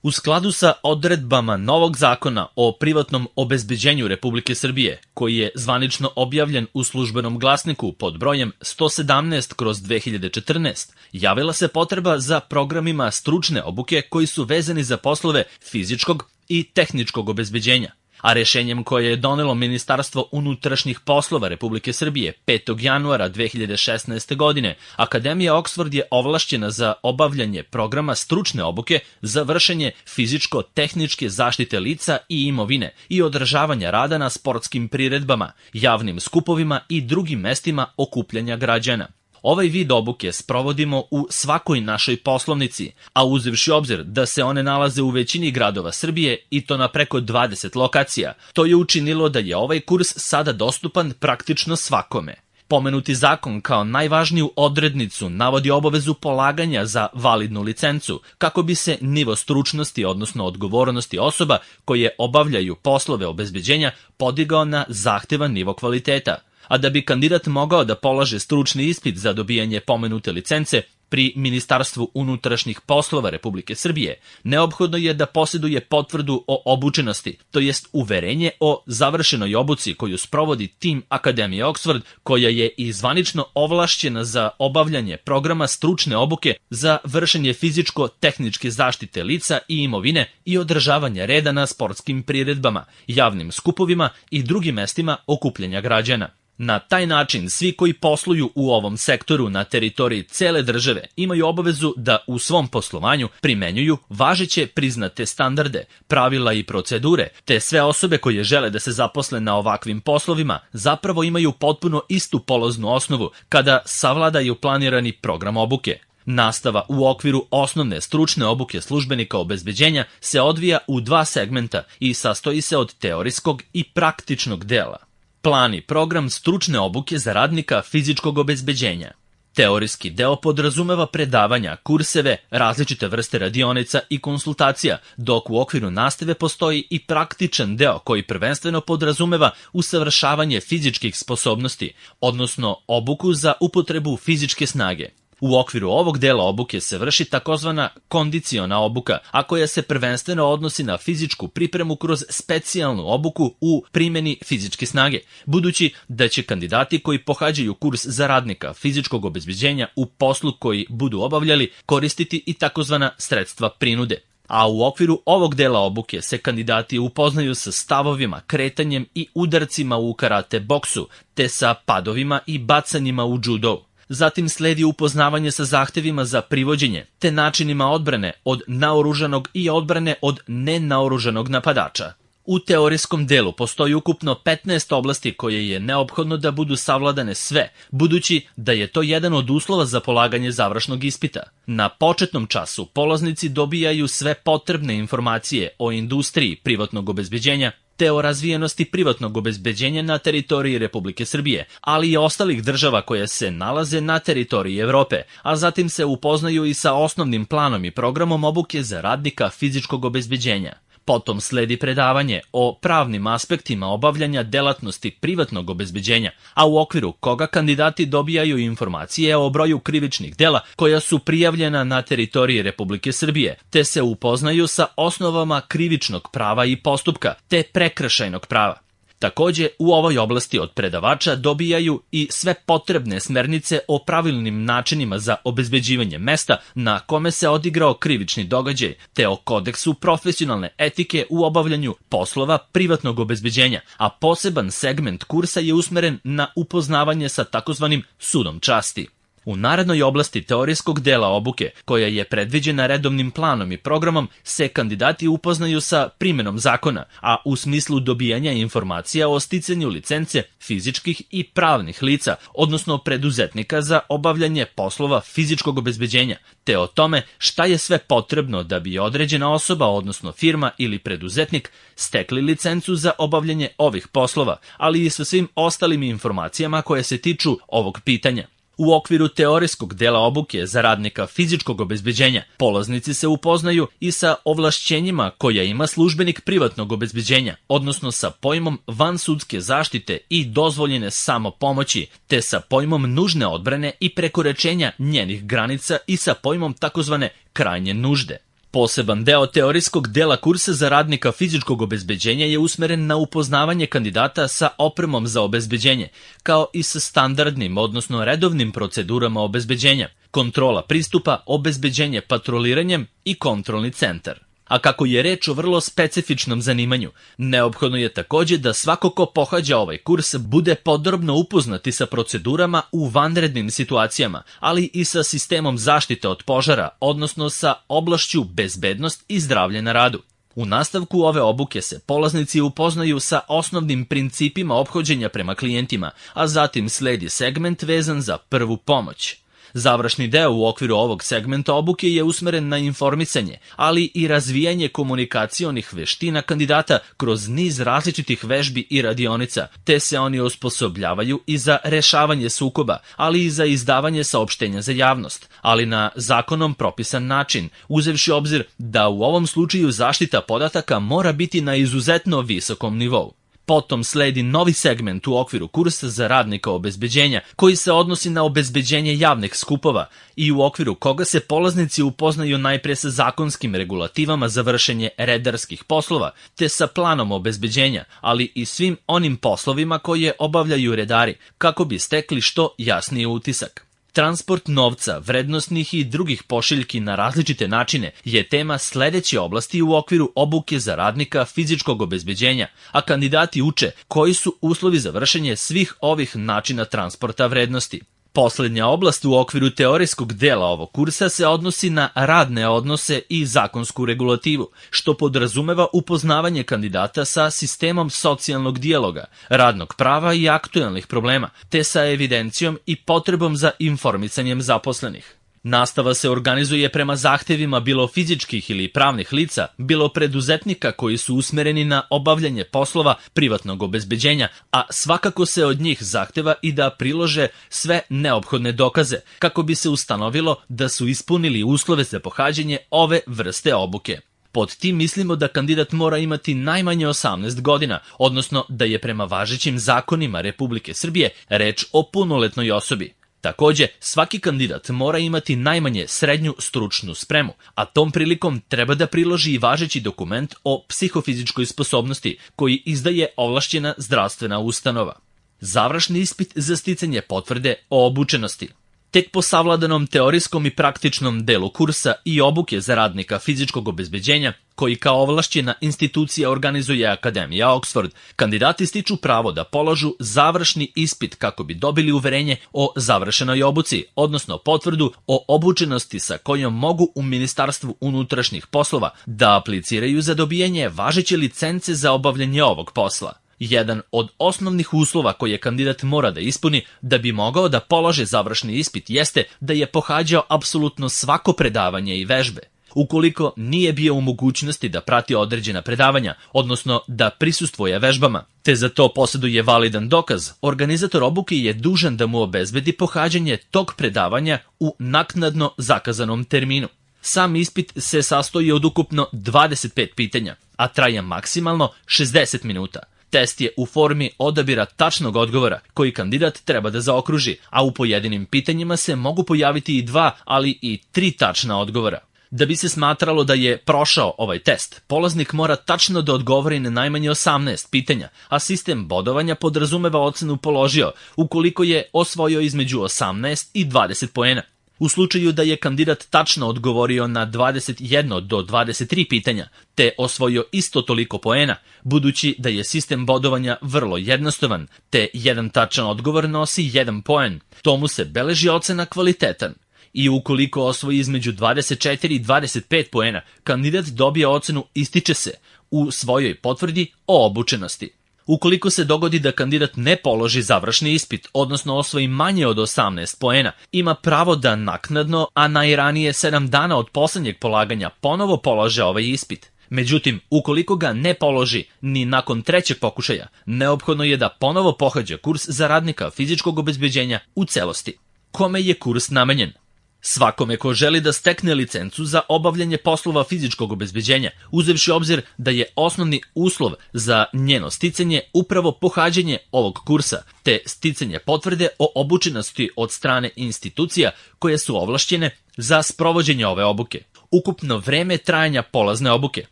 U skladu sa odredbama novog zakona o privatnom obezbeđenju Republike Srbije, koji je zvanično objavljen u Službenom glasniku pod brojem 117/2014, javila se potreba za programima stručne obuke koji su vezani za poslove fizičkog i tehničkog obezbeđenja. A rešenjem koje je donelo Ministarstvo unutrašnjih poslova Republike Srbije 5. januara 2016. godine, Akademija Oksford je ovlašćena za obavljanje programa stručne obuke za vršenje fizičko-tehničke zaštite lica i imovine i održavanja rada na sportskim priredbama, javnim skupovima i drugim mestima okupljanja građana. Ovaj vid obuke sprovodimo u svakoj našoj poslovnici, a uzevši obzir da se one nalaze u većini gradova Srbije i to na preko 20 lokacija, to je učinilo da je ovaj kurs sada dostupan praktično svakome. Pomenuti zakon kao najvažniju odrednicu navodi obavezu polaganja za validnu licencu, kako bi se nivo stručnosti, odnosno odgovornosti osoba koje obavljaju poslove obezbeđenja podigao na zahtevan nivo kvaliteta. A da bi kandidat mogao da polaže stručni ispit za dobijanje pomenute licence pri Ministarstvu unutrašnjih poslova Republike Srbije, neophodno je da posjeduje potvrdu o obučenosti, to jest uverenje o završenoj obuci koju sprovodi tim Akademije Oksford, koja je i zvanično ovlašćena za obavljanje programa stručne obuke za vršenje fizičko-tehničke zaštite lica i imovine i održavanje reda na sportskim priredbama, javnim skupovima i drugim mestima okupljanja građana. Na taj način svi koji posluju u ovom sektoru na teritoriji cele države imaju obavezu da u svom poslovanju primenjuju važeće priznate standarde, pravila i procedure, te sve osobe koje žele da se zaposle na ovakvim poslovima zapravo imaju potpuno istu polaznu osnovu kada savladaju planirani program obuke. Nastava u okviru osnovne stručne obuke službenika obezbeđenja se odvija u dva segmenta i sastoji se od teorijskog i praktičnog dela. Plan i program stručne obuke za radnika fizičkog obezbeđenja. Teorijski deo podrazumeva predavanja, kurseve, različite vrste radionica i konsultacija, dok u okviru nastave postoji i praktičan deo koji prvenstveno podrazumeva usavršavanje fizičkih sposobnosti, odnosno obuku za upotrebu fizičke snage. U okviru ovog dela obuke se vrši takozvana kondiciona obuka, a koja se prvenstveno odnosi na fizičku pripremu kroz specijalnu obuku u primjeni fizičke snage, budući da će kandidati koji pohađaju kurs za radnika fizičkog obezbeđenja u poslu koji budu obavljali koristiti i takozvana sredstva prinude. A u okviru ovog dela obuke se kandidati upoznaju sa stavovima, kretanjem i udarcima u karate boksu, te sa padovima i bacanjima u judo. Zatim sledi upoznavanje sa zahtevima za privođenje, te načinima odbrane od naoružanog i odbrane od nenaoružanog napadača. U teorijskom delu postoji ukupno 15 oblasti koje je neophodno da budu savladane sve, budući da je to jedan od uslova za polaganje završnog ispita. Na početnom času polaznici dobijaju sve potrebne informacije o industriji privatnog obezbeđenja, te o razvijenosti privatnog obezbeđenja na teritoriji Republike Srbije, ali i ostalih država koje se nalaze na teritoriji Evrope, a zatim se upoznaju i sa osnovnim planom i programom obuke za radnika fizičkog obezbeđenja. Potom sledi predavanje o pravnim aspektima obavljanja delatnosti privatnog obezbeđenja, a u okviru koga kandidati dobijaju informacije o broju krivičnih dela koja su prijavljena na teritoriji Republike Srbije, te se upoznaju sa osnovama krivičnog prava i postupka, te prekršajnog prava. Takođe, u ovoj oblasti od predavača dobijaju i sve potrebne smernice o pravilnim načinima za obezbeđivanje mesta na kome se odigrao krivični događaj, te o kodeksu profesionalne etike u obavljanju poslova privatnog obezbeđenja, a poseban segment kursa je usmeren na upoznavanje sa takozvanim sudom časti. U narednoj oblasti teorijskog dela obuke, koja je predviđena redovnim planom i programom, se kandidati upoznaju sa primjenom zakona, a u smislu dobijanja informacija o sticanju licence fizičkih i pravnih lica, odnosno preduzetnika za obavljanje poslova fizičkog obezbeđenja, te o tome šta je sve potrebno da bi određena osoba, odnosno firma ili preduzetnik, stekli licencu za obavljanje ovih poslova, ali i sa svim ostalim informacijama koje se tiču ovog pitanja. U okviru teorijskog dela obuke za radnika fizičkog obezbeđenja, polaznici se upoznaju i sa ovlašćenjima koja ima službenik privatnog obezbeđenja, odnosno sa pojmom vansudske zaštite i dozvoljene samopomoći, te sa pojmom nužne odbrane i prekoračenja njenih granica i sa pojmom takozvane krajnje nužde. Poseban deo teorijskog dela kursa za radnika fizičkog obezbeđenja je usmeren na upoznavanje kandidata sa opremom za obezbeđenje, kao i sa standardnim, odnosno redovnim procedurama obezbeđenja, kontrola pristupa, obezbeđenje patroliranjem i kontrolni centar. A kako je reč o vrlo specifičnom zanimanju, neophodno je takođe da svako ko pohađa ovaj kurs bude podrobno upoznati sa procedurama u vanrednim situacijama, ali i sa sistemom zaštite od požara, odnosno sa oblašću bezbednost i zdravlje na radu. U nastavku ove obuke se polaznici upoznaju sa osnovnim principima ophođenja prema klijentima, a zatim sledi segment vezan za prvu pomoć. Završni deo u okviru ovog segmenta obuke je usmeren na informisanje, ali i razvijanje komunikacionih veština kandidata kroz niz različitih vežbi i radionica, te se oni osposobljavaju i za rešavanje sukoba, ali i za izdavanje saopštenja za javnost, ali na zakonom propisan način, uzevši obzir da u ovom slučaju zaštita podataka mora biti na izuzetno visokom nivou. Potom sledi novi segment u okviru kursa za radnika obezbeđenja, koji se odnosi na obezbeđenje javnih skupova i u okviru koga se polaznici upoznaju najpre sa zakonskim regulativama za vršenje redarskih poslova, te sa planom obezbeđenja, ali i svim onim poslovima koje obavljaju redari, kako bi stekli što jasniji utisak. Transport novca, vrednosnih i drugih pošiljki na različite načine je tema sledeće oblasti u okviru obuke za radnika fizičkog obezbeđenja, a kandidati uče koji su uslovi za vršenje svih ovih načina transporta vrednosti. Poslednja oblast u okviru teorijskog dela ovog kursa se odnosi na radne odnose i zakonsku regulativu, što podrazumeva upoznavanje kandidata sa sistemom socijalnog dijaloga, radnog prava i aktuelnih problema, te sa evidencijom i potrebom za informisanjem zaposlenih. Nastava se organizuje prema zahtevima bilo fizičkih ili pravnih lica, bilo preduzetnika koji su usmereni na obavljanje poslova privatnog obezbeđenja, a svakako se od njih zahteva i da prilože sve neophodne dokaze, kako bi se ustanovilo da su ispunili uslove za pohađanje ove vrste obuke. Pod tim mislimo da kandidat mora imati najmanje 18 godina, odnosno da je prema važećim zakonima Republike Srbije reč o punoletnoj osobi. Takođe, svaki kandidat mora imati najmanje srednju stručnu spremu, a tom prilikom treba da priloži i važeći dokument o psihofizičkoj sposobnosti koji izdaje ovlašćena zdravstvena ustanova. Završni ispit za sticanje potvrde o obučenosti. Tek po savladanom teorijskom i praktičnom delu kursa i obuke za radnika fizičkog obezbeđenja, koji kao ovlašćena institucija organizuje Akademija Oxford, kandidati stiču pravo da polažu završni ispit kako bi dobili uverenje o završenoj obuci, odnosno potvrdu o obučenosti sa kojom mogu u Ministarstvu unutrašnjih poslova da apliciraju za dobijanje važeće licence za obavljanje ovog posla. Jedan od osnovnih uslova koje kandidat mora da ispuni da bi mogao da polaže završni ispit jeste da je pohađao apsolutno svako predavanje i vežbe. Ukoliko nije bio u mogućnosti da prati određena predavanja, odnosno da prisustvuje vežbama, te za to posjeduje validan dokaz, organizator obuke je dužan da mu obezbedi pohađanje tog predavanja u naknadno zakazanom terminu. Sam ispit se sastoji od ukupno 25 pitanja, a traje maksimalno 60 minuta. Test je u formi odabira tačnog odgovora koji kandidat treba da zaokruži, a u pojedinim pitanjima se mogu pojaviti i 2, ali i 3 tačna odgovora. Da bi se smatralo da je prošao ovaj test, polaznik mora tačno da odgovori na najmanje 18 pitanja, a sistem bodovanja podrazumeva ocenu položio ukoliko je osvojio između 18 i 20 poena. U slučaju da je kandidat tačno odgovorio na 21 do 23 pitanja, te osvojio isto toliko poena, budući da je sistem bodovanja vrlo jednostavan, te jedan tačan odgovor nosi 1 poen, tomu se beleži ocena kvalitetan. I ukoliko osvoji između 24 i 25 poena, kandidat dobije ocenu ističe se u svojoj potvrdi o obučenosti. Ukoliko se dogodi da kandidat ne položi završni ispit, odnosno osvoji manje od 18 poena, ima pravo da naknadno, a najranije 7 dana od poslednjeg polaganja, ponovo polaže ovaj ispit. Međutim, ukoliko ga ne položi ni nakon trećeg pokušaja, neophodno je da ponovo pohađa kurs za radnika fizičkog obezbeđenja u celosti. Kome je kurs namenjen? Svakome ko želi da stekne licencu za obavljanje poslova fizičkog obezbeđenja, uzevši obzir da je osnovni uslov za njeno sticanje upravo pohađanje ovog kursa, te sticanje potvrde o obučenosti od strane institucija koje su ovlašćene za sprovođenje ove obuke. Ukupno vreme trajanja polazne obuke.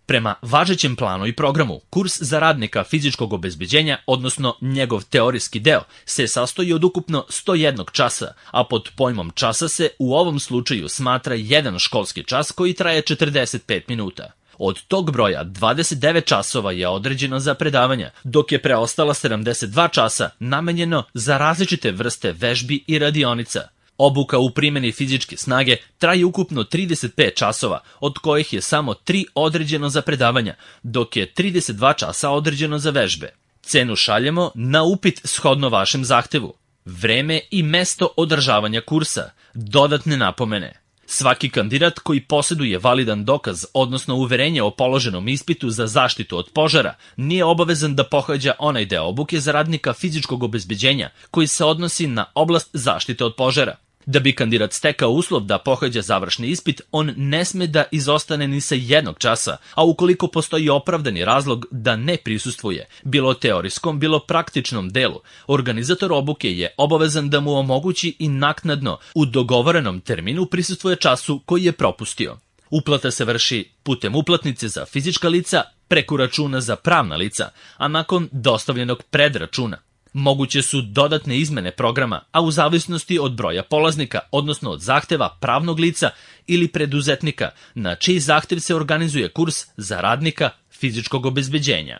Prema važećem planu i programu, kurs za radnika fizičkog obezbeđenja, odnosno njegov teorijski deo, se sastoji od ukupno 101 časa, a pod pojmom časa se u ovom slučaju smatra jedan školski čas koji traje 45 minuta. Od tog broja 29 časova je određeno za predavanja, dok je preostala 72 časa namenjeno za različite vrste vežbi i radionica. Obuka u primjeni fizičke snage traje ukupno 35 časova, od kojih je samo 3 određeno za predavanja, dok je 32 časa određeno za vežbe. Cenu šaljemo na upit shodno vašem zahtevu. Vreme i mesto održavanja kursa. Dodatne napomene. Svaki kandidat koji posjeduje validan dokaz, odnosno uverenje o položenom ispitu za zaštitu od požara, nije obavezan da pohađa onaj deo obuke za radnika fizičkog obezbeđenja koji se odnosi na oblast zaštite od požara. Da bi kandidat stekao uslov da pohađa završni ispit, on ne sme da izostane ni sa jednog časa, a ukoliko postoji opravdani razlog da ne prisustvuje, bilo teorijskom, bilo praktičnom delu, organizator obuke je obavezan da mu omogući i naknadno u dogovorenom terminu prisustvuje času koji je propustio. Uplata se vrši putem uplatnice za fizička lica, preko računa za pravna lica, a nakon dostavljenog predračuna. Moguće su dodatne izmene programa, a u zavisnosti od broja polaznika, odnosno od zahteva pravnog lica ili preduzetnika, na čiji zahtev se organizuje kurs za radnika fizičkog obezbeđenja.